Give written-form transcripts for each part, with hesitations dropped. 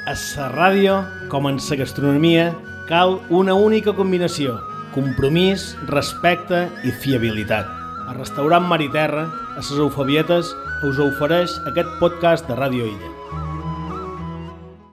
A la ràdio, com en la gastronomia, cal una única combinació: compromís, respecte i fiabilitat. El restaurant Mar i Terra, a les Eufabietes, us ofereix aquest podcast de Ràdio Illa.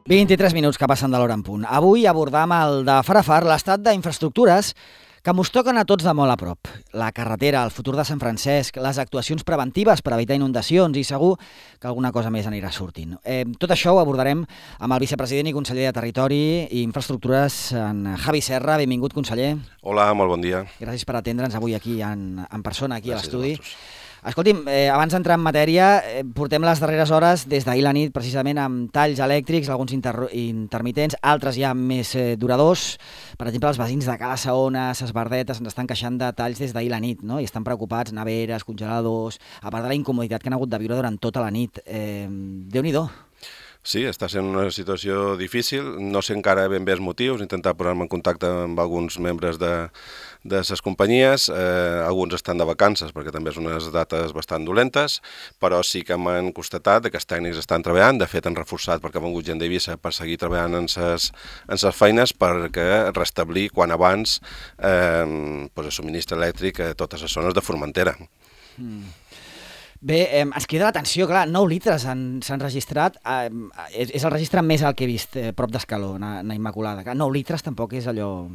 23 minuts que passen de l'hora en punt. Avui abordam el de far a far l'estat d'infraestructures que mos toquen a tots de molt a prop. La carretera, el futur de Sant Francesc, les actuacions preventives per evitar inundacions i segur que alguna cosa més anirà sortint. Tot això ho abordarem amb el vicepresident i conseller de Territori i Infraestructures, en Javi Serra. Benvingut, conseller. Hola, molt bon dia. Gràcies per atendre'ns avui aquí en persona, aquí Gràcies a l'estudi. a vosaltres. Escolti'm, abans d'entrar en matèria, portem les darreres hores des d'ahir la nit precisament amb talls elèctrics, alguns intermitents, altres ja més duradors. Per exemple, els veïns de Cala Saona, Ses Verdetes, ens estan queixant de talls des d'ahir la nit, no? I estan preocupats, neveres, congeladors, a part de la incomoditat que han hagut de viure durant tota la nit. Déu-n'hi-do. Sí, està sent una situació difícil, no sé encara ben bé els motius, intentar posar-me en contacte amb alguns membres de les companyies, alguns estan de vacances perquè també són unes dates bastant dolentes, però sí que m'han constatat que els tècnics estan treballant, de fet han reforçat perquè ha vengut gent d'Eivissa per seguir treballant en ses feines perquè restablir quan abans el subministre elèctric a totes les zones de Formentera. Bé, ens crida l'atenció, clar, 9 litres s'han registrat, és el registre més alt que he vist, prop d'Escaló, na Immaculada. 9 litres tampoc és allò...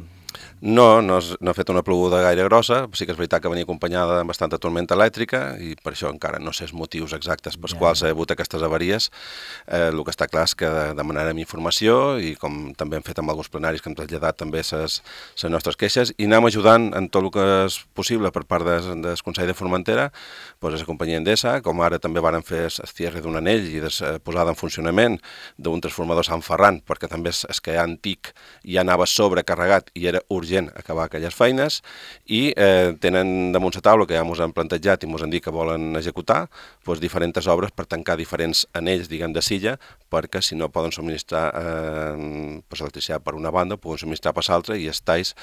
No ha fet una ploguda gaire grossa, sí que és veritat que venia acompanyada amb bastanta tormenta elèctrica i per això encara no sé els motius exactes pels quals ha hagut aquestes avaries. El que està clar és que demanarem informació i com també hem fet amb alguns plenaris que hem traslladat també les nostres queixes i anem ajudant en tot el que és possible per part del Consell de Formentera, doncs la companyia Endesa, com ara també varen fer el cierre d'un anell i posada en funcionament d'un transformador Sant Ferran, perquè també és que antic ja anava sobrecarregat i era urgent acabar aquelles feines i tenen damunt la taula, que ja ens han plantejat i ens han dit que volen executar, doncs diferents obres per tancar diferents anells, diguem, de silla, perquè si no poden subministrar electricitat per una banda, poden subministrar per l'altra i els talls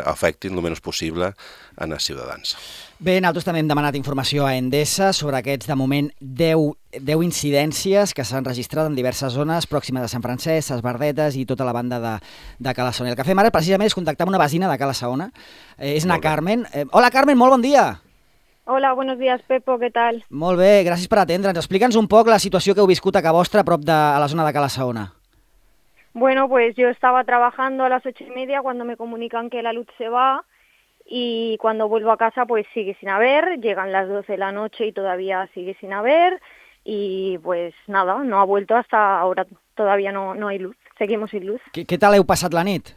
afectin el menys possible en els ciutadans. Bé, nosaltres també hem demanat informació a Endesa sobre aquests, de moment, 10 incidències que s'han registrat en diverses zones pròximes a Sant Francesc, Ses Verdetes i tota la banda de Cala Saona. El que fem ara precisament és contactar amb una veïna de Cala Saona, és na Carmen. Hola, Carmen, molt bon dia. Hola, buenos días, Pepo, ¿qué tal? Molt bé, gràcies per atendre'ns. Explica'ns un poc la situació que heu viscut a casa vostra, a prop de a la zona de Cala Saona. Bueno, pues yo estaba trabajando a las 8:30 cuando me comunican que la luz se va y cuando vuelvo a casa pues sigue sin haber, llegan las 12 de la noche y todavía sigue sin haber y pues nada, no ha vuelto hasta ahora, todavía no hay luz, seguimos sin luz. ¿Qué tal heu passat la nit?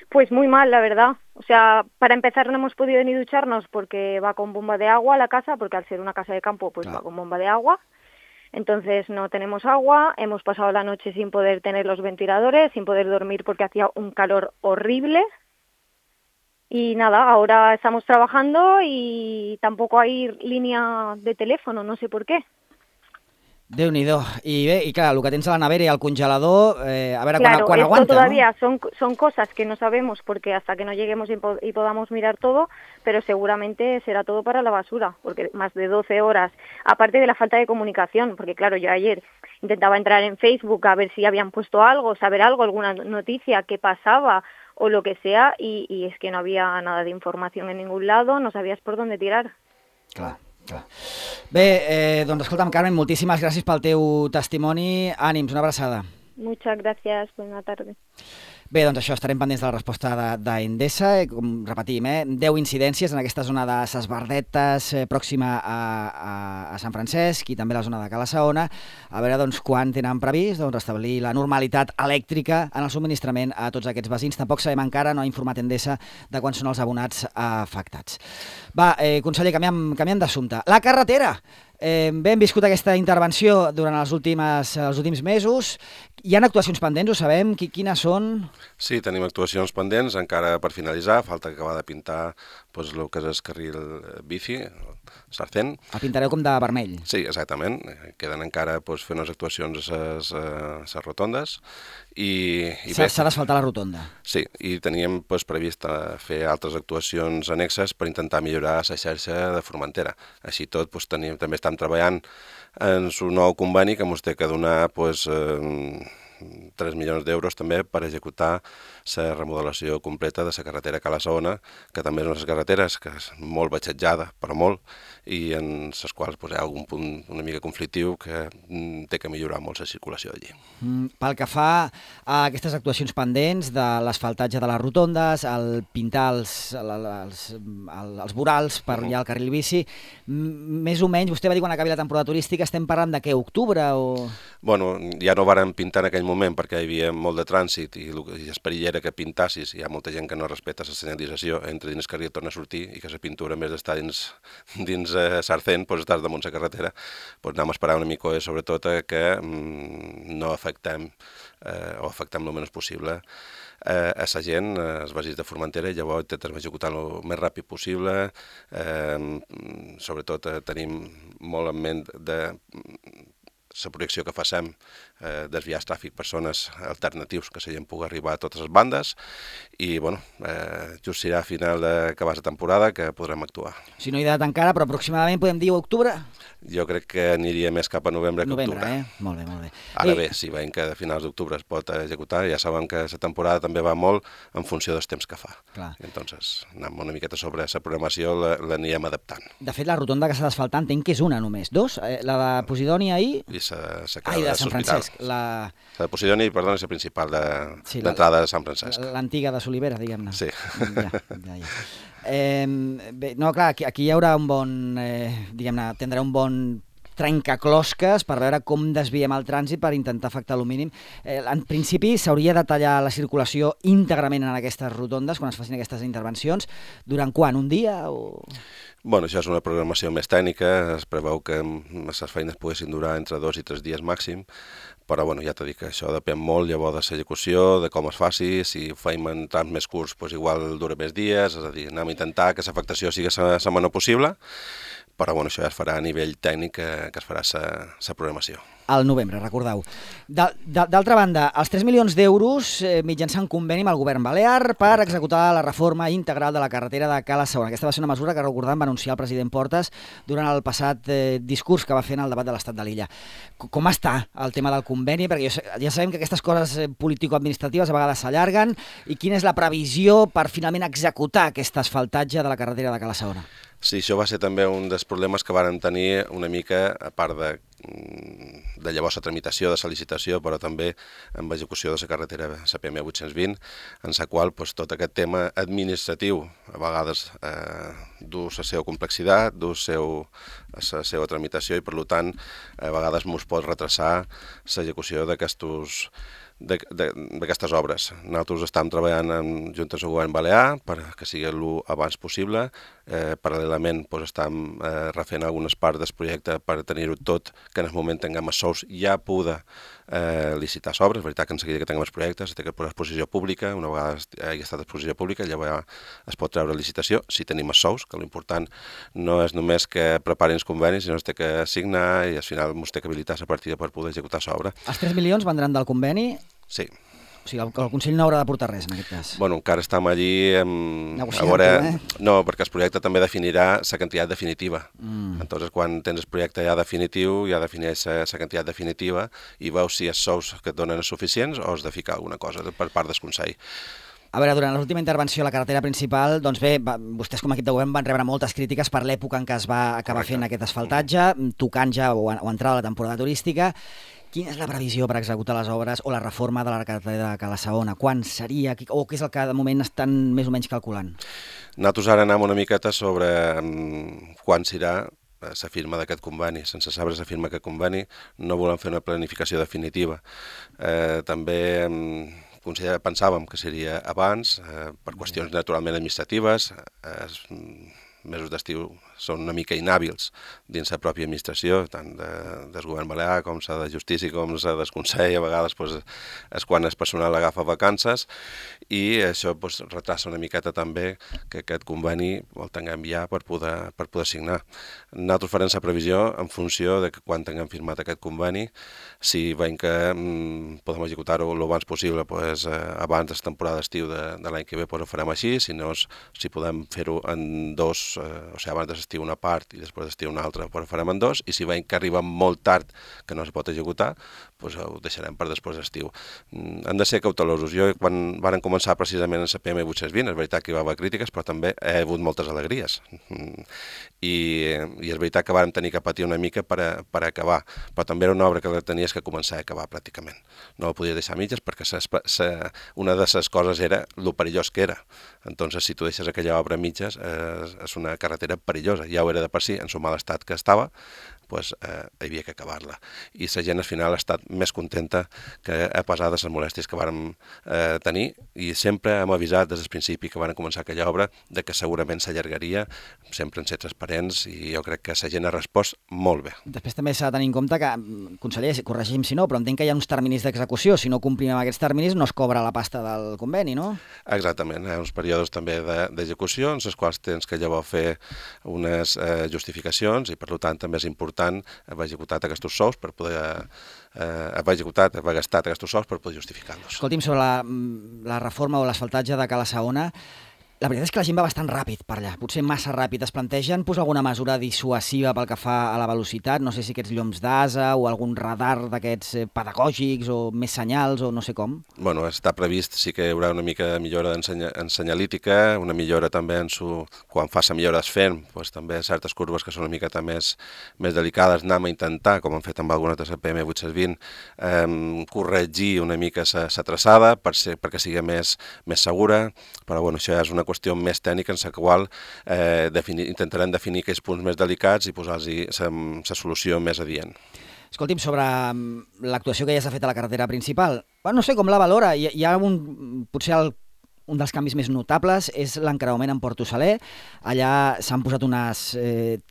Pues muy mal, la verdad. O sea, para empezar no hemos podido ni ducharnos porque va con bomba de agua la casa, porque al ser una casa de campo pues va con bomba de agua. Entonces no tenemos agua, hemos pasado la noche sin poder tener los ventiladores, sin poder dormir porque hacía un calor horrible. Y nada, ahora estamos trabajando y tampoco hay línea de teléfono, no sé por qué. Déu-n'hi-do. I bé, i clar, el que tens a la nevera i al congelador, a veure claro, quan aguanta, esto todavía ¿no? son cosas que no sabemos porque hasta que no lleguemos y podamos mirar todo, pero seguramente será todo para la basura, porque más de 12 horas, aparte de la falta de comunicación, porque claro, yo ayer intentaba entrar en Facebook a ver si habían puesto algo, saber algo, alguna noticia, qué pasaba o lo que sea, y es que no había nada de información en ningún lado, no sabías por dónde tirar. Clar. Bé, doncs escolta'm, Carmen, moltíssimes gràcies pel teu testimoni. Ànims, una abraçada. Muchas gracias, buena tarde. Bé, doncs això, estarem pendents de la resposta d'Endesa. Com repetim, 10 incidències en aquesta zona de Ses Verdetes, pròxima a Sant Francesc, i també la zona de Cala Saona. A veure doncs, quan tenen previst restablir la normalitat elèctrica en el subministrament a tots aquests veïns. Tampoc sabem encara, no ha informat Endesa de quan són els abonats afectats. Va, conseller, canviant d'assumpte. La carretera! Bé, hem viscut aquesta intervenció durant els últims mesos. Hi ha actuacions pendents, ho sabem? Quines són? Sí, tenim actuacions pendents, encara per finalitzar. Falta acabar de pintar el que és el carril bici, Sarcent. El pintareu com de vermell. Sí, exactament. Queden encara fer unes actuacions a les rotondes. S'ha d'asfaltar la rotonda. Sí, i teníem previst fer altres actuacions annexes per intentar millorar la xarxa de Formentera. Així tot, també estem treballant en un nou conveni que ens té que donar 3 milions d'euros també per executar la remodelació completa de la carretera Cala-Saona, que també és una de les carreteres que és molt batxetjada, però molt, i en les quals hi ha algun punt una mica conflictiu que té que millorar molt la circulació allí. Pel que fa a aquestes actuacions pendents de l'asfaltatge de les rotondes, el pintar els vorals per allà al carril bici, més o menys, vostè va dir quan acabi la temporada turística, estem parlant de què, octubre o...? Bueno, ja no vàrem pintar en aquell moment perquè hi havia molt de trànsit i el perill era que pintassis, hi ha molta gent que no respecta la senyalització, entra dins el carril i torna a sortir i que la pintura, en vez d'estar dins Sarcent, estàs damunt la carretera, anem a esperar una mica, sobretot que no afectem o afectem el menys possible a la gent, els veïns de Formentera, i llavors intentem executar el més ràpid possible. Sobretot tenim molt en ment de la projecció que facem, desviar el tràfic per zones alternatius que la gent pugui arribar a totes les bandes i, just serà a final d'acabar la temporada que podrem actuar. Si no hi ha dat encara, però aproximadament podem dir octubre? Jo crec que aniria més cap a novembre que octubre. Molt bé, molt bé. Ara bé, si veiem que a finals d'octubre es pot executar, ja sabem que la temporada també va molt en funció dels temps que fa. Clar. Entonces, anem una miqueta sobre la programació, l'anirem adaptant. De fet, la rotonda que s'ha d'asfaltar entenc que és una només. Dos? La de Posidònia i... I la de Sant Francesc. La de Posidònia, perdó, és la principal d'entrada de Sant Francesc. L'antiga de Solivera, diguem-ne. Sí. Ja. Bé, no, clar, aquí hi haurà un bon, diguem-ne, tindrà un bon trencaclosques per veure com desviem el trànsit per intentar afectar el mínim. En principi s'hauria de tallar la circulació íntegrament en aquestes rotondes quan es facin aquestes intervencions. Durant quan? Un dia o...? Bueno, això és una programació més tècnica, es preveu que les feines poguessin durar entre 2 i 3 dies màxim, però ja t'he dit que això depèn molt llavors de l'execució, de com es faci, si ho feim en trams més curts, igual dura més dies, és a dir, anem a intentar que l'afectació sigui la menor possible, però això ja es farà a nivell tècnic que es farà la programació. Al novembre, recordeu. D'altra banda, els 3 milions d'euros mitjançant conveni amb el govern balear per executar la reforma integral de la carretera de Cala-Saona. Aquesta va ser una mesura que, recordem, va anunciar el president Portas durant el passat discurs que va fer en el debat de l'estat de l'illa. Com està el tema del conveni? Perquè ja sabem que aquestes coses político-administratives a vegades s'allarguen. I quina és la previsió per finalment executar aquest asfaltatge de la carretera de Cala-Saona? Sí, això va ser també un dels problemes que vàrem tenir una mica, a part de llavors la tramitació de la licitació, però també amb l'execució de la carretera CPM 820, en la qual tot aquest tema administratiu a vegades du la seva complexitat, du la seva tramitació i per tant a vegades ens pot retrasar l'execució d'aquestes obres. Nosaltres estem treballant en juntes al govern balear perquè sigui el abans possible. Paral·lelament estem refent algunes parts del projecte per tenir-ho tot, que en el moment tinguem els sous ja poder licitar les obres. És veritat que en seguida que tinguem els projectes té que posar exposició pública, una vegada hi ha estat exposició pública llavors es pot treure licitació si tenim els sous, que l'important no és només que preparin els convenis, sinó que es té que signar i al final ens té que habilitar la partida per poder executar l'obra. Els 3 milions vendran del conveni? Sí. O sigui, el Consell no haurà d'aportar res, en aquest cas. Bueno, encara estem allí... negociant, No, perquè el projecte també definirà la quantitat definitiva. Entonces, quan tens el projecte ja definitiu, ja defineix la quantitat definitiva i veus si els sous que et donen és suficients o has de ficar alguna cosa per part del Consell. A veure, durant l'última intervenció a la carretera principal, doncs bé, vostès com a equip de govern van rebre moltes crítiques per l'època en què es va acabar fent aquest asfaltatge, tocant ja o entrada a la temporada turística. Quina és la previsió per executar les obres o la reforma de la carretera de Cala-Saona? Quan seria o què és el que de moment estan més o menys calculant? Nosaltres ara anem una miqueta sobre quan serà la firma d'aquest conveni. Sense saber la firma d'aquest conveni no volem fer una planificació definitiva. També pensàvem que seria abans, per qüestions naturalment administratives. Els mesos d'estiu són una mica inhàbils dins la pròpia administració, tant del govern balear com la de justícia com la del Consell. A vegades és quan el personal agafa vacances i això retrasa una miqueta també que aquest conveni el tinguem ja per poder signar. Nosaltres farem la previsió en funció de quan tinguem firmat aquest conveni. Si veiem que podem executar-ho el abans possible, abans de la temporada d'estiu de l'any que ve ho farem així, si no, si podem fer-ho en abans de d'estiu una part i després d'estiu una altra, però farem en dos, i si veiem que arriba molt tard, que no es pot executar, doncs ho deixarem per després d'estiu. Hem de ser cautelosos. Jo, quan varen començar precisament en la PM820, és veritat que hi va haver crítiques, però també he hagut moltes alegries. I és veritat que vàrem tenir que patir una mica per acabar, però també era una obra que la tenies que començar a acabar pràcticament. No la podies deixar a mitges perquè una de les coses era lo perillós que era. Entonces, si tu deixes aquella obra a mitges, és una carretera perillosa. Ja ho era de per si, en el mal estat que estava, doncs hi havia que acabar-la. I la gent al final ha estat més contenta que a pesar de les molèsties que vàrem tenir, i sempre hem avisat des del principi que vàrem començar aquella obra de que segurament s'allargaria, sempre en ser transparents, i jo crec que la gent ha respost molt bé. Després també s'ha de tenir en compte que, conseller, corregim si no, però entenc que hi ha uns terminis d'execució. Si no complim amb aquests terminis no es cobra la pasta del conveni, no? Exactament, hi ha uns períodes també d'execució, en els quals tens que llavors fer unes justificacions, i per tant també és important haver executat aquests sous per poder haver gastat aquests sous per poder justificar-los. Escolti'm, sobre la reforma o l'asfaltatge de Cala Saona, la veritat és que la gent va bastant ràpid per allà, potser massa ràpid. Es plantegen posar alguna mesura dissuasiva pel que fa a la velocitat? No sé si aquests llums d'asa o algun radar d'aquests pedagògics o més senyals o no sé com. Bueno, està previst, sí que hi haurà una mica de millora en senyalítica, una millora també quan fa la millora d'esfem, doncs també certes curves que són una miqueta més delicades, anem a intentar, com hem fet amb alguna de la PM820, corregir una mica la traçada perquè sigui més segura, però bueno, això ja és una qüestió més tècnica en la qual intentarem definir aquells punts més delicats i posar-hi la solució més adient. Escolti'm, sobre l'actuació que ja s'ha fet a la carretera principal, no sé com la valora. Hi ha potser un dels canvis més notables és l'encreuament en Porto Saler. Allà s'han posat unes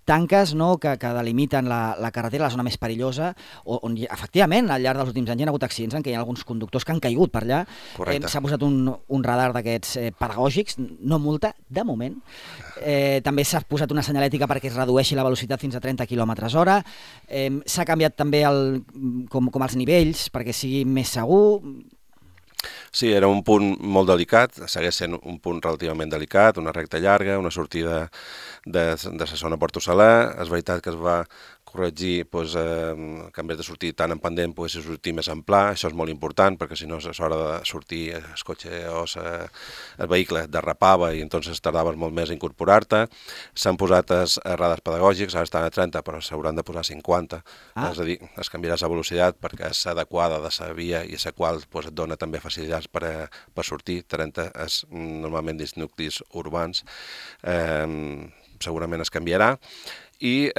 tanques, no?, que delimiten la carretera, la zona més perillosa, on efectivament al llarg dels últims anys hi ha hagut accidents en què hi ha alguns conductors que han caigut per allà. S'ha posat un radar d'aquests pedagògics, no multa, de moment. També s'ha posat una senyalètica perquè es redueixi la velocitat fins a 30 km/h. S'ha canviat també com els nivells perquè sigui més segur. Sí, era un punt molt delicat, segueix sent un punt relativament delicat, una recta llarga, una sortida de la zona Porto Saler. És veritat que es va corregir que en vez de sortir tan en pendent pogués sortir més en pla. Això és molt important perquè si no a l'hora de sortir el cotxe o el vehicle derrapava i entonces tardaves molt més a incorporar-te. S'han posat els radars pedagògics, ara estan a 30 però s'hauran de posar a 50, és a dir, es canviarà la velocitat perquè és adequada de la via i la qual et dona també facilitats per sortir. 30 és normalment dins nuclis urbans, segurament es canviarà. I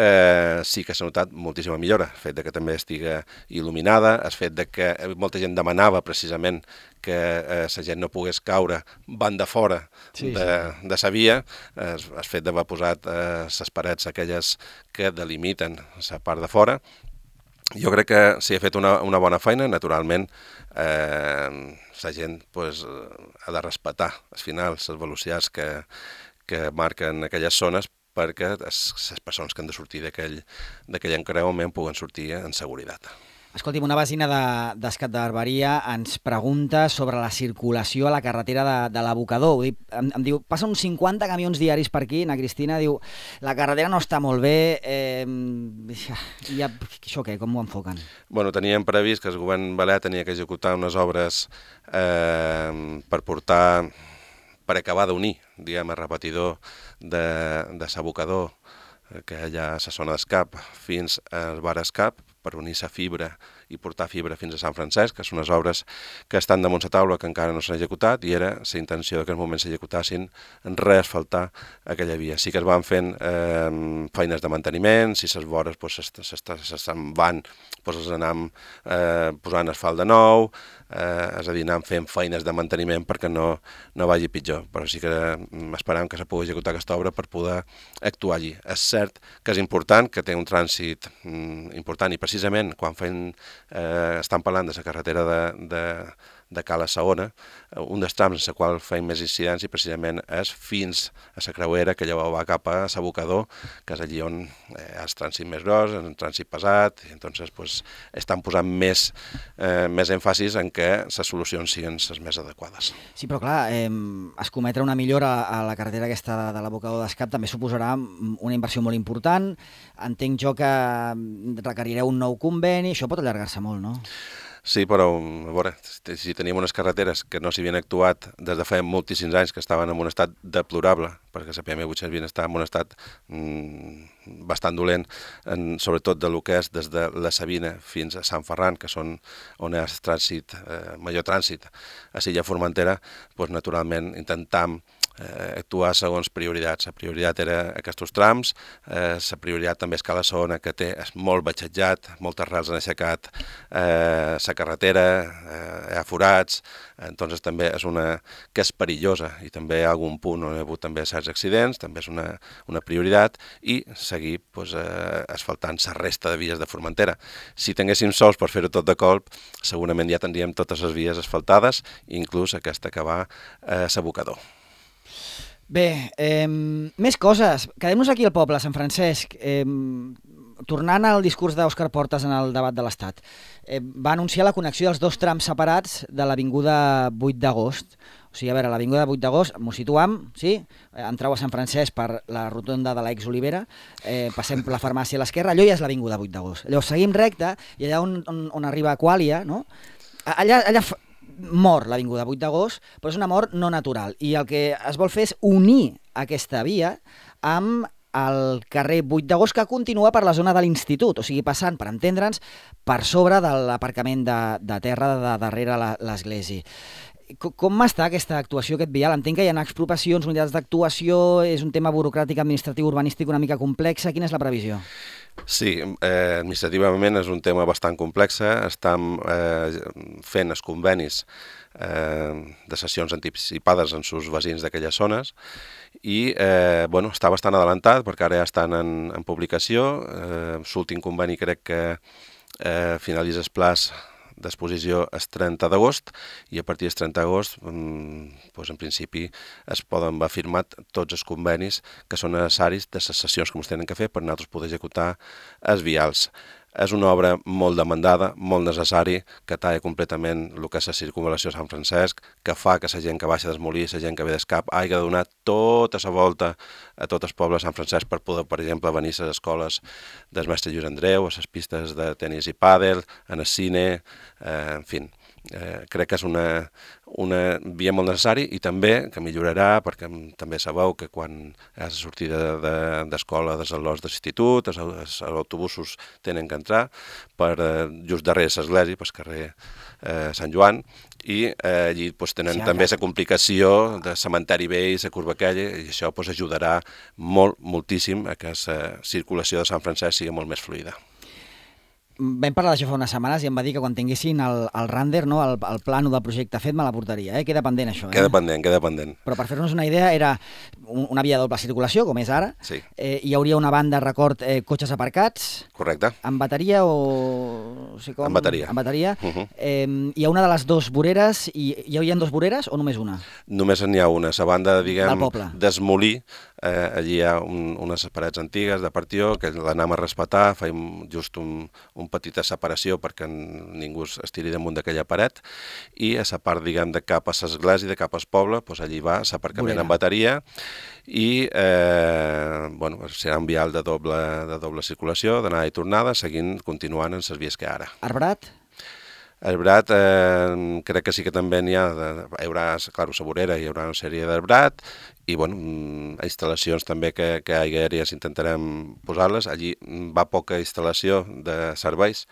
sí que s'ha notat moltíssima millora, el fet que també estigui il·luminada, el fet que molta gent demanava precisament que la gent no pogués caure banda fora de la via, el fet d'haver posat les parets aquelles que delimiten la part de fora. Jo crec que s'hi ha fet una bona feina, naturalment la gent ha de respectar al final les velocitats que marquen aquelles zones perquè les persones que han de sortir d'aquell encreuament puguen sortir en seguretat. Escolti'm, una vecina d'Escat de Barberia ens pregunta sobre la circulació a la carretera de l'Abocador. Em diu, passen uns 50 camions diaris per aquí, na Cristina, diu, la carretera no està molt bé, això què, com ho enfoquen? Bueno, teníem previst que el govern balear tenia que executar unes obres per acabar d'unir, diguem, el repetidor de l'abocador que hi ha a la zona d'Escap fins al bar Escap, per unir la fibra i portar fibra fins a Sant Francesc, que són unes obres que estan damunt la taula que encara no s'han executat, i era la intenció que en aquest moment s'executassin en reasfaltar aquella via. Sí que es van fent feines de manteniment, si les vores se'n van, els anem posant asfalt de nou, és a dir, anem fent feines de manteniment perquè no vagi pitjor, però sí que esperam que se pugui executar aquesta obra per poder actuar allí. És cert que és important, que té un trànsit important, i precisament quan estan parlant de la carretera de Cala Saona, un dels trams en el qual feim més incidència precisament és fins a la creuera que llavors va cap a l'abocador, que és allí on hi ha el trànsit més gros, el trànsit pesat, i entonces pues, estan posant més èmfasis en que les solucions siguin les més adequades. Sí, però clar, escometre una millora a la carretera aquesta de l'abocador d'Escap també suposarà una inversió molt important. Entenc jo que requerireu un nou conveni, això pot allargar-se molt, no? Sí, però a veure, si teníem unes carreteres que no s'hi havien actuat des de fa moltíssims anys, que estaven en un estat deplorable, perquè la PM800 havien estat en un estat bastant dolent, sobretot de lo que és des de la Sabina fins a Sant Ferran, que són on hi ha trànsit, major trànsit a Silla Formentera, doncs naturalment intentam actuar segons prioritats. La prioritat era aquests trams, la prioritat també és Cala Saona, que és molt batxejat, moltes rels han aixecat la carretera, hi ha forats, entonces també és una que és perillosa i també hi ha algun punt on hi ha hagut també certs accidents, també és una prioritat, i seguir pues, asfaltant la resta de vies de Formentera. Si tinguéssim sols per fer-ho tot de colp, segurament ja tindríem totes les vies asfaltades, inclús aquesta que va a l'abocador. Bé, més coses. Quedem-nos aquí al poble, Sant Francesc. Tornant al discurs d'Òscar Portas en el debat de l'Estat, va anunciar la connexió dels dos trams separats de l'Avinguda 8 d'agost. O sigui, a veure, l'Avinguda 8 d'agost, m'ho situam, sí? Entreu a Sant Francesc per la rotonda de l'ex-Olivera, passem per la farmàcia a l'esquerra, allò ja és l'Avinguda 8 d'agost. Llavors seguim recte i allà on arriba Aquàlia, no? Allà mor l'Avinguda 8 d'agost, però és una mort no natural. I el que es vol fer és unir aquesta via amb el carrer 8 d'agost, que continua per la zona de l'Institut, o sigui, passant, per entendre'ns, per sobre de l'aparcament de terra de darrere l'església. Com està aquesta actuació, aquest vial? Entenc que hi ha expropiacions, unitats d'actuació, és un tema burocràtic, administratiu, urbanístic una mica complex. Quina és la previsió? Sí, administrativament és un tema bastant complex. Estem fent els convenis de sessions anticipades en els veïns d'aquelles zones i està bastant adelantat perquè ara ja estan en publicació. L'últim conveni crec que finalitza el plaç d'exposició és 30 d'agost i a partir del 30 d'agost en principi es poden haver firmat tots els convenis que són necessaris de les sessions que ens tenen que fer per nosaltres poder executar els vials. És una obra molt demandada, molt necessari, que talla completament el que és la circunvalació de Sant Francesc, que fa que la gent que baixa del Molí, la gent que ve d'Escap, hagi de donar tota la volta a tot el poble de Sant Francesc per poder, per exemple, venir a les escoles del mestre Lluís Andreu, a les pistes de tenis i pàdel, en el cine, en fi. Crec que és una via molt necessària i també que millorarà, perquè també sabeu que quan hi ha la sortida d'escola dels alumnes de l'institut, els autobusos tenen que entrar per just darrere l'església, pel carrer Sant Joan, i allí tenen també la complicació de cementeri vell, la curva aquella, i això ajudarà moltíssim a que la circulació de Sant Francesc sigui molt més fluida. Vam parlar d'això fa unes setmanes i em va dir que quan tinguessin el render, no, el plano del projecte fet, me la portaria. Queda pendent això. Queda pendent. Però per fer-nos una idea, era una via de doble circulació, com és ara. Sí. Hi hauria una banda, record, cotxes aparcats. Correcte. Amb bateria o... Amb bateria. Amb bateria. Hi ha una de les dues voreres, i hi haurien dues voreres o només una? Només n'hi ha una. La banda, diguem, del Molí, allí hi ha unes parets antigues de partió que l'anem a respetar, fem just un petita separació perquè ningú es tiri damunt d'aquella paret, i a la part, diguem, de cap a l'església, de cap al poble, allí va l'aparcament amb bateria i serà un vial de doble circulació, d'anada i tornada, continuant en les vies que ara. Arbrat? Arbrat, crec que sí que també n'hi ha, hi haurà, clar, la vorera, hi haurà una sèrie d'arbrat i, instal·lacions també que aèries intentarem posar-les. Allí va poca instal·lació de serveis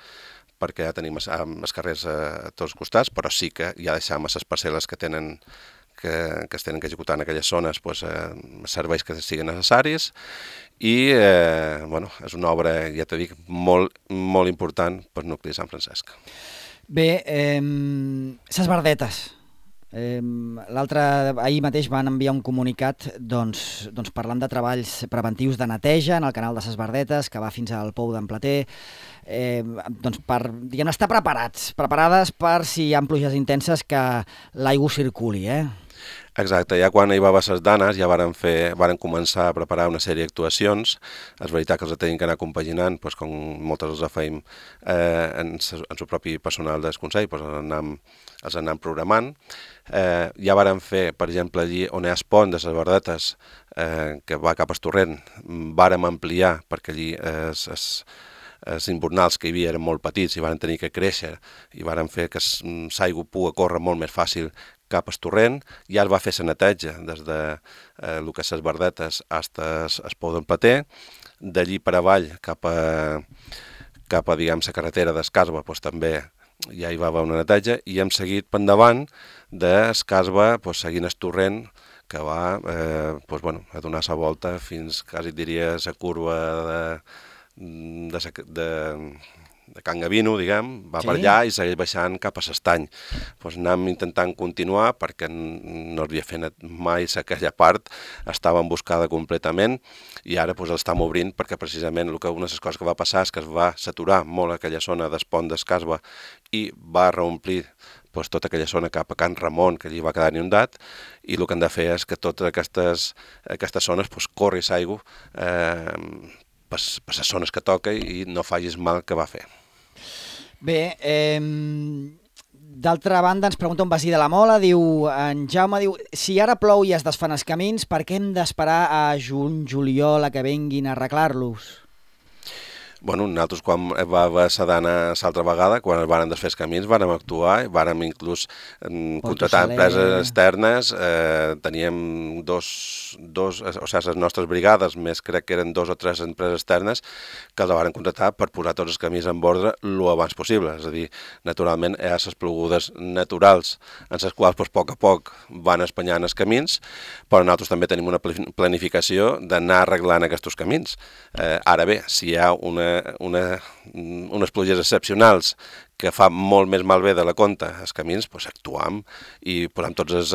perquè ja tenim els carrers a tots els costats, però sí que ja deixam les parcel·les que es tenen que executar en aquelles zones serveis que siguin necessaris i és una obra, ja t'he dit, molt important per nucli de Sant Francesc. Bé, ses verdetes. Ahir mateix van enviar un comunicat parlant de treballs preventius de neteja en el canal de Ses Verdetes, que va fins al Pou d'en Plater, per estar preparades per si hi ha pluges intenses que l'aigua circuli, Exacte, ja quan hi va haver les danes ja varen començar a preparar una sèrie d'actuacions. És veritat que els tenim que anar compaginant, com moltes els feim en el propi personal del Consell, els anem programant. Ja varen fer, per exemple, allí on hi ha el pont de Ses Verdetes, que va cap al torrent, vàrem ampliar, perquè allí els invernals que hi havia eren molt petits i van tenir que créixer i varen fer que l'aigua pugui córrer molt més fàcil cap al torrent. Ja es va fer la neteja des de el que és Ses Verdetes fins al Pou d'en Plater. D'allí per avall cap a diguem, la carretera d'Escasba, també ja hi va haver una neteja i hem seguit per endavant d'Escasba seguint el torrent que va a donar la volta fins, quasi diria, la curva de Can Gavino, diguem, va per allà i segueix baixant cap a l'Estany. Anem intentant continuar perquè no havia fet mai aquella part, estava emboscada completament i ara l'estem obrint perquè precisament una de les coses que va passar és que es va saturar molt aquella zona del pont d'Escasba i va reomplir tota aquella zona cap a Can Ramon, que allí va quedar inundat, i el que hem de fer és que totes aquestes zones corri l'aigua per les zones que toca i no facis mal que va fer. Bé, d'altra banda ens pregunta un veí de la Mola, en Jaume diu, si ara plou i es desfan els camins, per què hem d'esperar a juny-juliol a que venguin a arreglar-los? Nosaltres quan va haver la dana l'altra vegada, quan es van desfer els camins, vàrem actuar i vàrem inclús contratar empreses externes. Teníem les nostres brigades, més crec que eren 2 o 3 empreses externes, que els varen contratar per posar tots els camins en ordre el abans possible. És a dir, naturalment hi ha les plogudes naturals, en les quals a poc van espanyant els camins, però nosaltres també tenim una planificació d'anar arreglant aquests camins. Ara bé, si hi ha unes pluges excepcionals que fa molt més malbé de la compte els camins, actuam i posem tots les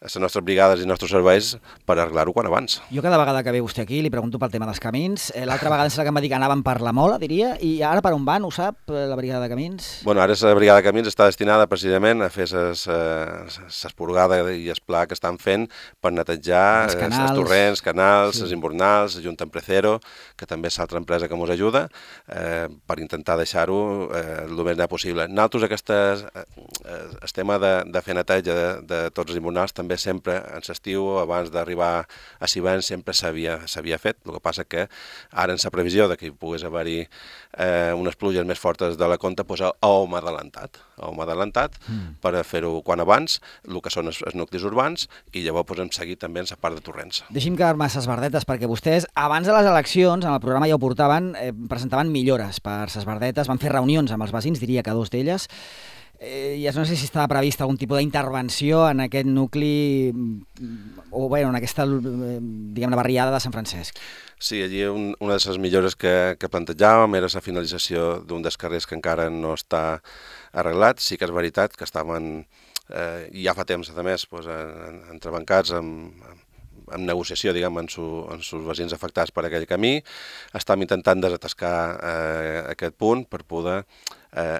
nostres brigades i els nostres serveis per arreglar-ho quan abans. Jo cada vegada que ve vostè aquí li pregunto pel tema dels camins. L'altra vegada que em va dir que anaven per la Mola, diria, i ara per on van, ho sap, la brigada de camins? Ara la brigada de camins està destinada precisament a fer l'esporgada i el pla que estan fent per netejar els torrents, canals, els invernals, Junta Emprecero, que també és l'altra empresa que ens ajuda, per intentar deixar-ho el més net possible. Nosaltres el tema de fer neteja de tots els invernals també sempre en l'estiu, abans d'arribar a l'hivern, sempre s'havia fet. El que passa que ara en la previsió que hi pogués haver-hi unes pluges més fortes de la compte, hem adelantat per fer-ho quan abans, el que són els nuclis urbans, i llavors hem seguit també en la part de torrents. Deixi'm quedar-me a Ses Verdetes, perquè vostès, abans de les eleccions, en el programa ja ho portaven, presentaven millores per Ses Verdetes, van fer reunions amb els veïns, diria que 2 d'elles, ja no sé si estava prevista algun tipus d'intervenció en aquest nucli o bé, en aquesta, diguem-ne, barriada de Sant Francesc. Sí, allí una de les millores que plantejàvem era la finalització d'un dels carrers que encara no està arreglat. Sí que és veritat que estaven, ja fa temps, a més, entrebancats en negociació, diguem, amb els veïns afectats per aquell camí. Estem intentant desatascar aquest punt per poder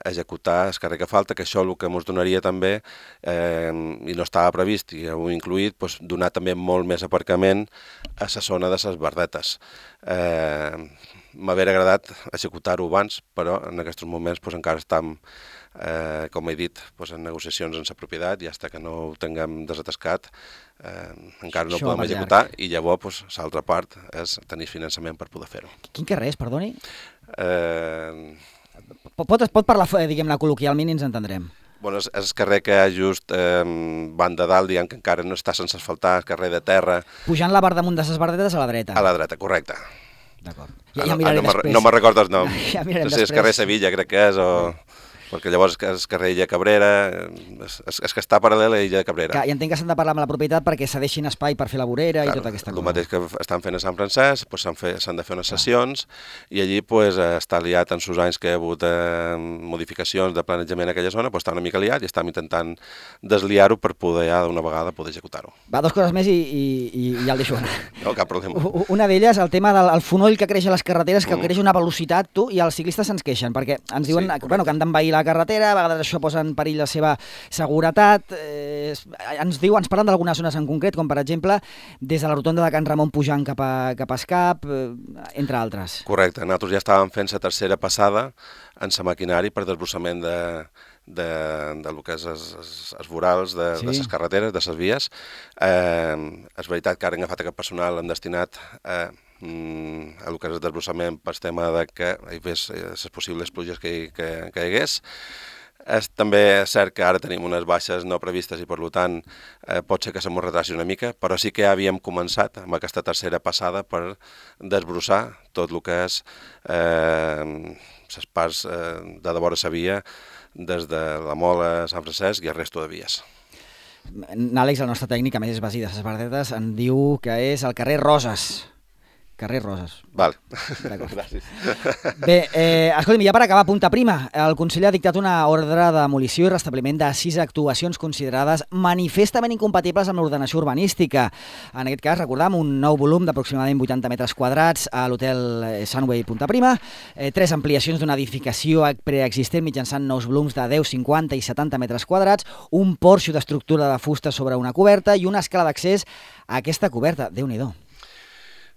executar el carrer que falta, que això el que ens donaria també, i no estava previst i ho he incluït, donar també molt més aparcament a la zona de Ses Verdetes. M'hauria agradat executar-ho abans, però en aquests moments encara estem, com he dit, en negociacions en la propietat i fins que no ho tinguem desatascat encara no ho podem executar i llavors l'altra part és tenir finançament per poder fer-ho. Quin carrer és, perdoni? Pot parlar, diguem-ne, col·loquialment i ens entendrem. És el carrer que hi ha just banda dalt, diguem que encara no està sense asfaltar, el carrer de terra. Pujant la bar damunt de Ses Verdetes a la dreta. A la dreta, correcte. D'acord. No me'n recordo el nom. No sé, el carrer Sevilla crec que és o... perquè llavors és carrer Illa Cabrera, és que està paral·lel a Illa Cabrera. I entenc que s'han de parlar amb la propietat perquè cedeixin espai per fer la vorera i tota aquesta cosa. El mateix que estan fent a Sant Francesc, s'han de fer unes sessions i allí està liat en sos anys que hi ha hagut modificacions de planejament en aquella zona, està una mica liat i estem intentant desliar-ho per poder ja d'una vegada poder executar-ho. Va, 2 coses més i ja el deixo anar. No, cap problema. Una d'elles, el tema del fonoll que creix a les carreteres, que creix una velocitat, i els ciclistes se'ns queixen, perquè ens diuen que han d'envair la carretera, a vegades això posa en perill la seva seguretat. Ens parlen d'algunes zones en concret, com per exemple des de la rotonda de Can Ramon pujant cap a Escap, entre altres. Correcte, nosaltres ja estàvem fent la tercera passada en la maquinari per desbrossament de lo que és els vorals de les carreteres, de les vies. És veritat que ara hem agafat aquest personal, hem destinat a el que és el desbrossament per tema de que hi hagués les possibles pluges que hi hagués. També és cert que ara tenim unes baixes no previstes i per tant pot ser que se m'ho retraci una mica, però sí que ja havíem començat amb aquesta tercera passada per desbrossar tot el que és les parts de vora la via des de la Mola a Sant Francesc i el resto de vies. Àlex, el nostre tècnic, a més és veí de les Verdetes, en diu que és el carrer Roses. Carrer Roses. Vale. Gràcies. Bé, escolta'm, ja per acabar, punta prima. El Consell ha dictat una ordre de demolició i restabliment de 6 actuacions considerades manifestament incompatibles amb l'ordenació urbanística. En aquest cas, recordam, un nou volum d'aproximadament 80 metres quadrats a l'hotel Sunway Punta Prima, 3 ampliacions d'una edificació preexistent mitjançant nous volums de 10, 50 i 70 metres quadrats, un porxo d'estructura de fusta sobre una coberta i una escala d'accés a aquesta coberta. Déu-n'hi-do.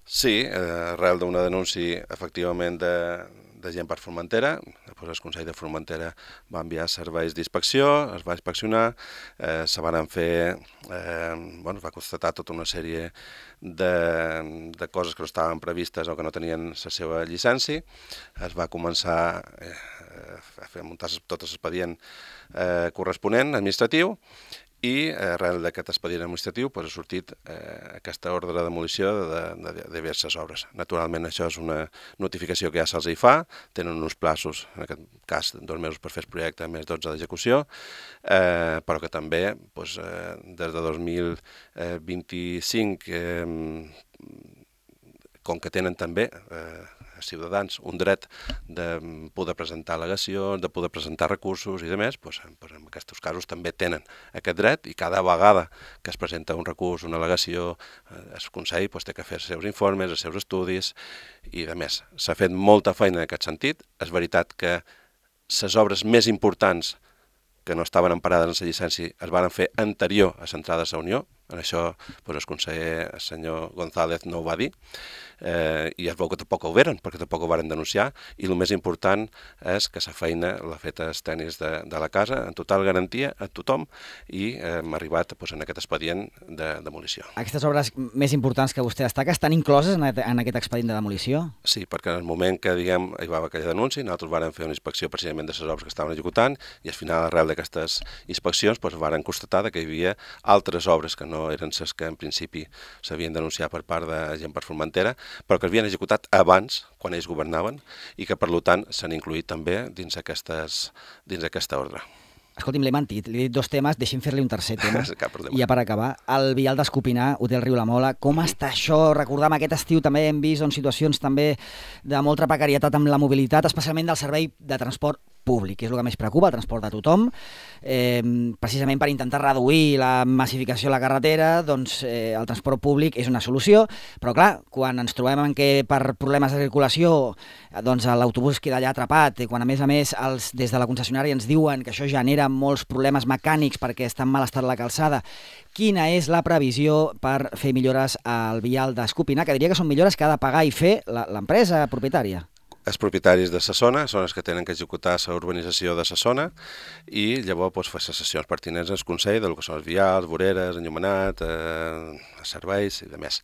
Sí, arrel d'una denúncia, efectivament, de gent per Formentera. Després el Consell de Formentera va enviar serveis d'inspecció, es va inspeccionar, se van fer, es va constatar tota una sèrie de coses que no estaven previstes o que no tenien la seva llicència. Es va començar a muntar tot l'expedient corresponent, administratiu, i arrel d'aquest expedient administratiu ha sortit aquesta ordre de demolició de diverses obres. Naturalment, això és una notificació que ja se'ls hi fa, tenen uns plaços, en aquest cas 2 mesos per fer el projecte, més 12 d'execució, però que també des de 2025, com que tenen també ciutadans un dret de poder presentar al·legacions, de poder presentar recursos i demés, en aquests casos també tenen aquest dret i cada vegada que es presenta un recurs, una al·legació, el Consell té que fer els seus informes, els seus estudis i demés. S'ha fet molta feina en aquest sentit. És veritat que les obres més importants que no estaven emparades en la llicència es van fer anterior a l'entrada a la Unió. En això el conseller, el senyor González, no ho va dir, i es veu que tampoc ho veren, perquè tampoc ho varen denunciar, i el més important és que la feina l'ha fet els tècnics de la casa, en total garantia a tothom, i hem arribat en aquest expedient de demolició. Aquestes obres més importants que vostè destaca estan incloses en aquest expedient de demolició? Sí, perquè en el moment que hi va haver aquella denúncia, nosaltres vàrem fer una inspecció precisament de les obres que estaven executant, i al final, arrel d'aquestes inspeccions, vàrem constatar que hi havia altres obres que no eren les que en principi s'havien denunciat per part de gent per Formentera, però que havien executat abans, quan ells governaven, i que per tant s'han incluït també dins aquesta ordre. Escolti'm, l'he mentit, li he dit 2 temes, deixi'm fer-li un tercer tema. I ja per acabar, el vial d'Escopinar, Hotel Riu la Mola, com està això? Recordam, aquest estiu també hem vist situacions també de molta precarietat amb la mobilitat, especialment del servei de transport públic, que és el que més preocupa, el transport de tothom. Precisament per intentar reduir la massificació a la carretera, doncs el transport públic és una solució, però clar, quan ens trobem en què per problemes de circulació doncs l'autobús queda allà atrapat, i quan a més des de la concessionària ens diuen que això genera molts problemes mecànics perquè està en mal estat la calçada, quina és la previsió per fer millores al vial d'Escopinar, que diria que són millores que ha de pagar i fer l'empresa propietària? Els propietaris de la zona són els que tenen que executar la urbanització de la zona i llavors fer les sessions pertinents al Consell del que són els vials, voreres, enllumenat, serveis i demés.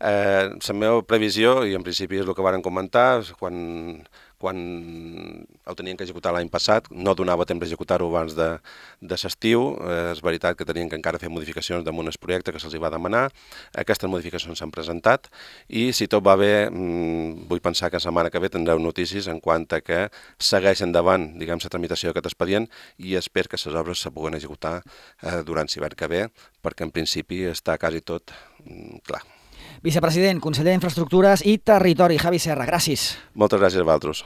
La meva previsió, i en principi és el que varen comentar, quan quan ho tenien que executar l'any passat, no donava temps d'executar-ho abans de l'estiu. És veritat que tenien que encara fer modificacions damunt el projecte que se'ls va demanar. Aquestes modificacions s'han presentat i si tot va bé, vull pensar que la setmana que ve tindreu notícies en quant a que segueix endavant, diguem, la tramitació d'aquest expedient i espero que les obres se puguen executar durant l'hivern que ve, perquè en principi està quasi tot clar. Vicepresident, conseller d'Infraestructures i Territori, Javi Serra, gràcies. Moltes gràcies a vosaltres.